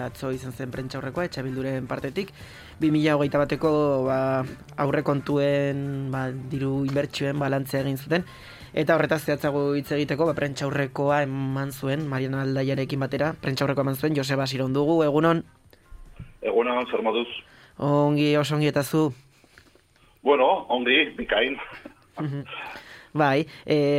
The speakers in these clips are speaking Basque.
atzo izan zen prentsaurrekoa, Etxabilduren partetik, 2021ko aurrekontuen diru inbertsioen balantzea egin zuten, eta horretaz zehatzago hitz egiteko prentsaurrekoa eman zuen, Mariana Aldaiarekin batera, prentsaurrekoa eman zuen, Joseba Siron dugu, egunon? Egunon, zer moduz? Ongi, oso ongi eta zu? Bueno, ongi, bikain. Bai,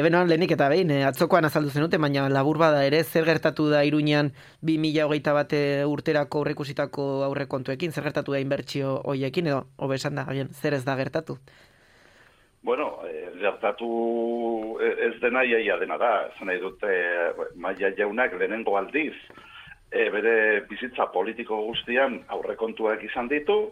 benoan lehenik eta behin, atzokoan azaldu zenute, baina labur bada ere, zer gertatu da Iruñan 2021 urterako aurreikusitako aurrekontuekin, zer gertatu da inbertsio hoiekin, edo, hobesan da, zer ez da gertatu? Bueno, gertatu ez dena iaia dena da, zen nahi dute Maia jaunak lehenengo aldiz, bere bizitza politiko guztian aurrekontuak izan ditu,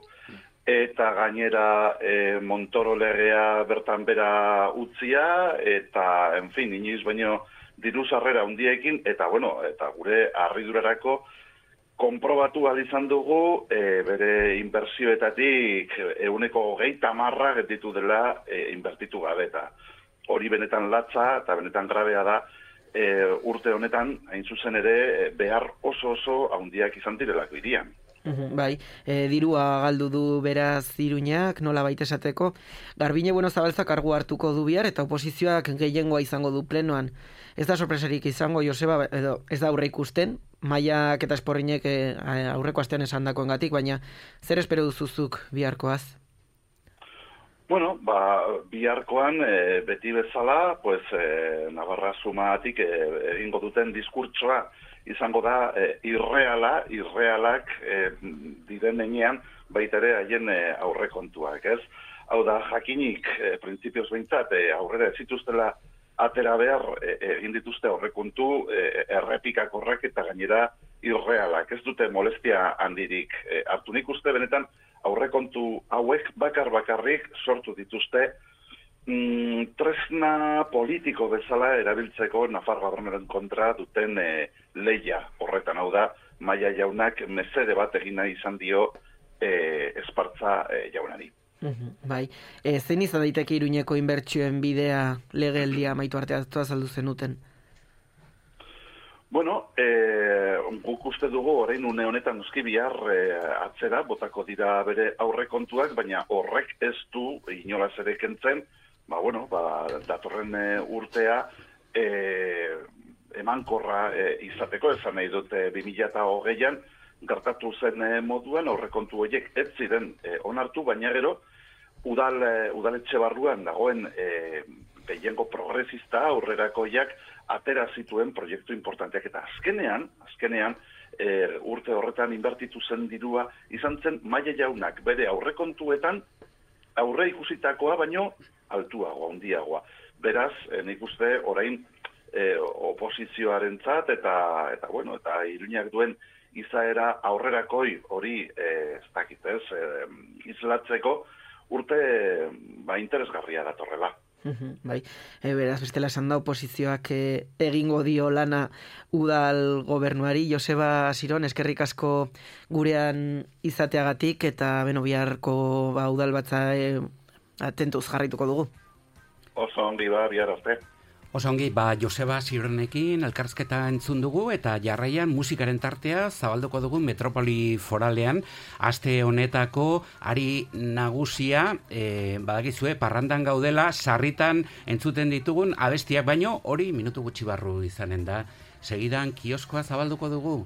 eta gainera Montoro legea bertan bera utzia, eta, en fin, inoiz baino diru sarrera handiekin, eta, bueno, eta gure harridurarako konprobatu ahal izan dugu bere inbertsioetatik 20% getitu dela inbertitu gabe, eta hori benetan latza eta benetan grabea da urte honetan, hain zuzen ere, behar oso handiak izan direlako irian. Bai, dirua galdu du beraz Iruñak, nola baita esateko. Garbine Zabalza kargu hartuko du bihar eta oposizioak gehiengoa izango du plenoan. Ez da sorpresarik izango, Joseba, edo ez da aurre ikusten, Maiak eta Esporrinek aurreko astean esandakoengatik, baina zer espero duzuzuk biharkoaz? Bueno, biharkoan beti bezala, pues Navarra Sumatik egingo duten diskurtsoa izango da irrealak diren enean baita ere haien aurrekontuak, ez? Hau da, jakinik, printzipioz behintzat, aurrera ez zituztela atera behar egin dituzte aurrekontu errepikakorrak eta gainera irrealak. Ez dute molestia handirik hartu. Nik uste benetan aurrekontu hauek bakarrik sortu dituzte tresna politiko bezala erabiltzeko Nafarroaren kontra duten lehia horretan. Hau da, Maia jaunak mesede bat egin nahi izan dio Espartza jaunari. Bai, zein izan daiteke Iruñeko inbertsioen bidea legealdia amaitu arte azaldu zenuten? Bueno, guk uste dugu orain une honetan noski bihar atzera botako dira bere aurrekontuak, baina horrek ez du inolaz ere kentzen, datorren urtea emankorra izateko, esan nahi dute 2020an gertatu zen moduan aurrekontu horiek ez ziren onartu, baina gero udaletxe barruan dagoen gehiengo progresista aurrerakoiak atera zituen proiektu importanteak, eta azkenean urte horretan inbertitu zen dirua izan zen Maia jaunak bere aurrekontuetan aurre ikusitakoa baino altuagoa, handiagoa. Beraz, nik uste orain oposizioarentzat eta Iruñak duen izaera aurrerakoi hori ez dakit ez, islatzeko urte interesgarria datorrela. Bai, beraz, bestela esan da oposizioak egingo dio lana udal gobernuari. Joseba Siron, eskerrik asko gurean izateagatik, eta biharko udal batza atentuz jarraituko dugu. Oso ongi bihar arte. Oso ongi, Joseba Sironekin elkarrizketa entzun dugu eta jarraian musikaren tartea zabalduko dugu Metropoli Foralean. Aste honetako ari nagusia, badakizue, parrandan gaudela, sarritan entzuten ditugun abestiak, baino hori minutu gutxi barru izanen da. Segidan kioskoa zabalduko dugu.